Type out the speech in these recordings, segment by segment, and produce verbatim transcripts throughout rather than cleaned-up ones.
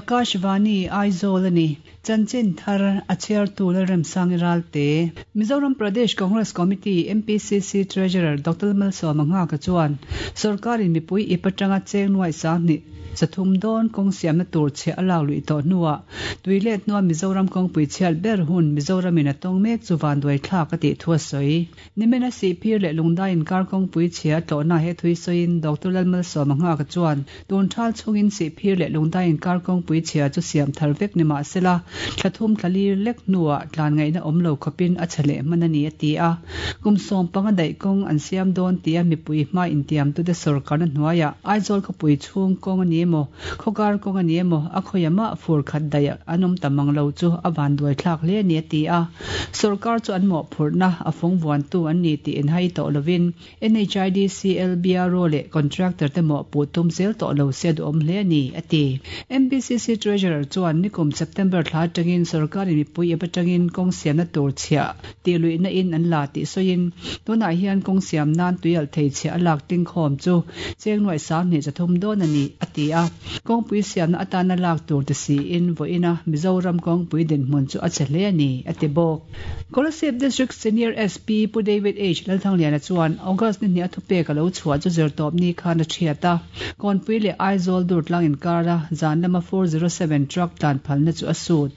Akashvani Aizawl ani Chanchin Thar a chhiartu Lalremsangi Ralte Mizoram Pradesh Congress Committee M P C C Treasurer Doctor Malsawma Nghaka chuan sarkarin mipui ip atanga cheng nuai sanghnih zathum dawn kawng siamna tur chhiah a lak luih tawh hnuah tuilet hnua Mizoram kawngpui chhiat ber hun Mizoramin a tawng mek chu vanduai thlak a tih thu a sawi. Nimina Sihphir leh Lungdai inkar kawngpui chhia tlawhna he thui sawiin Doctor Lalmalsawma Nghaka chuan tun thal chungin Sihphir leh Lungdai inkar kawngpui chhia chu siam thar vek ni mahsela thlathum thlalir lek hnuah tlan ngaihna awm lo khawpin a chhe leh hman a ni a ti a. Kum sawm panga daih kawng an siam dawn tia mipui hma intiam tute sawrkarna hnuaiah Aizawl khawpui chhung kawng a ni emaw khawkar kawng a ni emaw a khawia fur khat daih an awm ta mang lo chu a vanduai thlak hle a ni a ti a. Sawrkar chu an mawhphurhna a fawng vuantu an ni tih inhai tawh lovin N H I D C L B R O leh contractor te mawhpuh tum zel tawh lo se duhawm hle a ni a ti. M P C C Treasurer chuan nikum September thla atangin sawrkarin mipui ip atangin kawng siamna tur chhiah tih luihna in an la tih sawiin tunah hian kawng siam nan tuialh thei chhiah a lak ting khawm chu cheng nuai sanghnih zathum dawn a ni a ti a. Kawngpui siamna atana lak tur ti siin vawiina Mizoram kawngpui dinhmun chu a chhe hle a ni a ti bawk. Kolasib District Senior S P Pu David H Lalthangliana chuan August ni hnih a thupek a lo chhuah chu zirtawp ni khan a thiat a. Kawnpui leh Aizawl Durtlang inkara zan lama four zero seven truck tlan phalna chu a sut.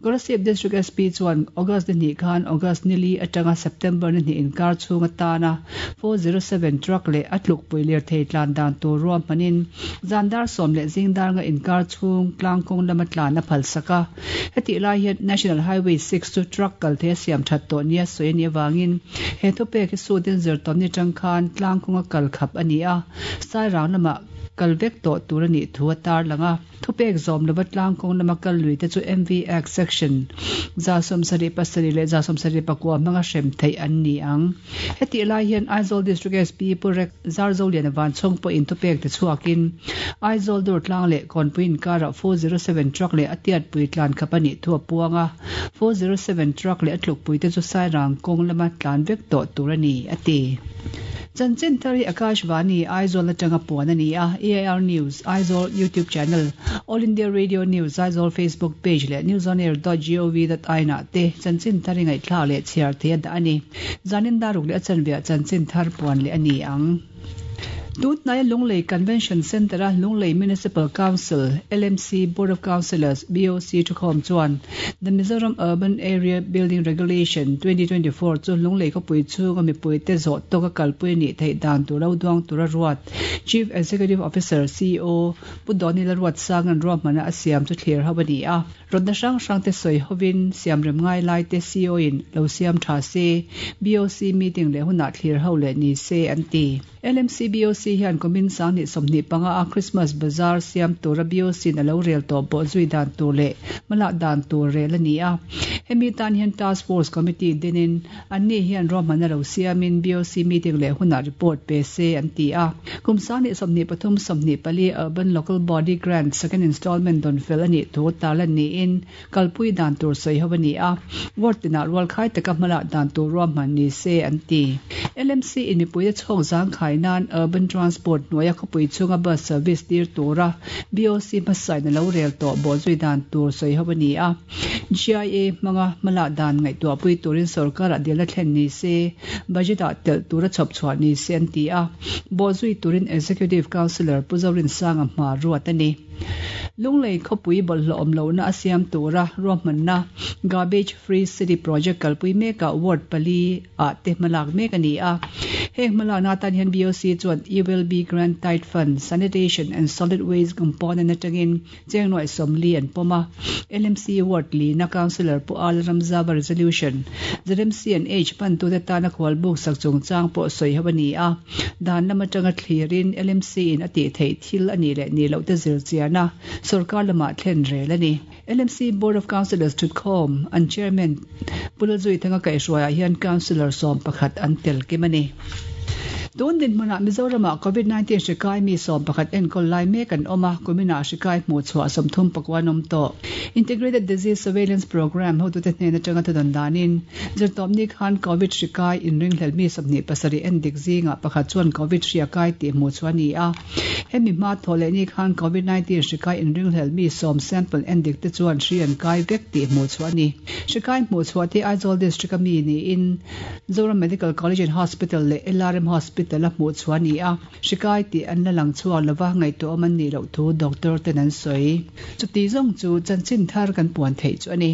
Kolasib District S P chuan August ni hnih khan August ni li atanga September ni hnih inkar chhung atana four zero seven truck leh a tlukpui lirthei tlan dan tur ruam hmanin zan dar sawm leh zing dar nga inkar chhung tlangkawng lama tlan a phal sak a. Heti lai hian National Highway six chu truck kal thei a siam that tawh nia sawi ani awangin he thupek hi sutin zirtawp ni tang khan tlangkawnga kal khap ani a. Sairang lama kal vek tawh tur ani thu a tar langa thupek zawm lova tlangkawng lama kal lui te chu M V Act section za sawmsarih pasarih leh za sawmsarih pakua hmanga hrem theih an ni ang. Heti lai hian Aizawl District S P Pu Rek Zarzolian van chhawng pawhin thupek te chhuakin Aizawl Durtlang leh Kawnpui inkara four zero seven truck leh a tiatpui tlan khap ani thu a puanga four zero seven truck leh a tlukpui te chu Sairang kawng lama tlan vek tawh tur ani a ti. Chanchin thar hi Akashvani Aizawl atanga puan ani a. A I R News Aizawl YouTube channel, All India Radio News Aizawl Facebook page leh newsonair dot gov dot in ah te chanchin thar hi ngaihthlak leh chhiar thei a dah ani. Zanin daruk leh a chanveah chanchin thar puan leh ani ang. Tunhnai Lunglei Convention Centre a Lunglei Municipal Council L M C Board of Councillors B O C thukhawm chuan The Mizoram Urban Area Building Regulation twenty twenty-four chu Lunglei khawpui chhunga mipui te zawh tawka kalpui ni theih dan tur lo duang tura ruat Chief Executive Officer C E O Pu Donila Ruat Sangan ruahmana a siam chu thlir ho ani a. Rawtna hrang hrang te sawi hovin siam rem ngai lai te C E O in lo siam tha se B O C meeting leh hunah thlir ho leh ni se an ti. L M C B O C hian kumin sanghnih sawmhnih panga a Christmas Bazaar siam tura B O C na lo rel tawh pawh zui dan tur leh hmalak dan tur rel ani a. Hemi tan hian Task Force Committee dinin anni hian ruahmana lo siamin B O C meeting leh hunah report pe se an ti a. Kum sanghnih sawmhnih pathum sawmhnih pali Urban Local Body Grant second installment don fel ani thu tarlan niin kalpui dan tur sawi ho ani a. Ward tinah rual khai taka hmalak dan tur ruahman ni se an ti. L M C in mipui te chhawk zang khai nan Urban Transport hnuaia khawpui chhunga bus service tir tura B O C hmasain a lo rel tawh bawh zui dan tur sawi ho ani a. G I A hmanga hmalak dan ngaihtuahpui turin sarkarah dilna thlen ni se budget ah telh tura chhawp chhuah ni se an ti a. Bawh zui turin Executive Councillor Pu Zorin Sanga hma ruat ani. Lunglei khawpui bawlhhlawh awm lohna a siam tura ruahmanna Garbage Free City Project kalpui mekah ward pali ah te hmalak mek ani a. Heng hmalakna tan hian B O C chuan U L B Grant Tied Fund Sanitation and Solid Waste Component atangin cheng nuai sawmli an pawm a. L M C Ward li na Councillor Pu Al Ramzava Resolution Z M C and H pan tu te tana khawal buk sak chungchang pawh sawi ho ani a. Dan lama tanga thlirin L M C in a tih theih thil ani leh ni loh te zir chiana sarkar lama thlen rel ani. L M C Board of Councillors thutkhawm an chairman Pu Lalzui Thanga kaihhruaiah hian Councillor sawm pakhat an tel kim ani. Tun dinhmunah Mizoramah Covid nineteen hri kai mi sawm pakhat enkawl lai mek an awm a, kumina hri kai hmuh chhuah sawmthum pakua an awm tawh. Integrated Disease Surveillance Programme hotute hnen atanga thudawn danin, zirtawpni khan Covid hri kai inringhlel mi sawmhnih pasarih endik zingah pakhat chuan Covid hri a kai tih hmuh chhuah a ni a. Hemi hma thawh leh ni khan Covid nineteen hri kai inringhlel mi sawm sample endik te chuan hri an kai vek tih hmuh chhuah a ni. Hri kai hmuh chhuah te Aizawl District a mi niin Zoram Medical College and Hospital leh L R M Hospital a hmuh chhuah a ni a, hri kai tih an la lang chhuak lova ngaihtuahawm an nih loh thu doctor ten an sawi. Chuti zawng chu chanchin thar kan puan theih chu a ni.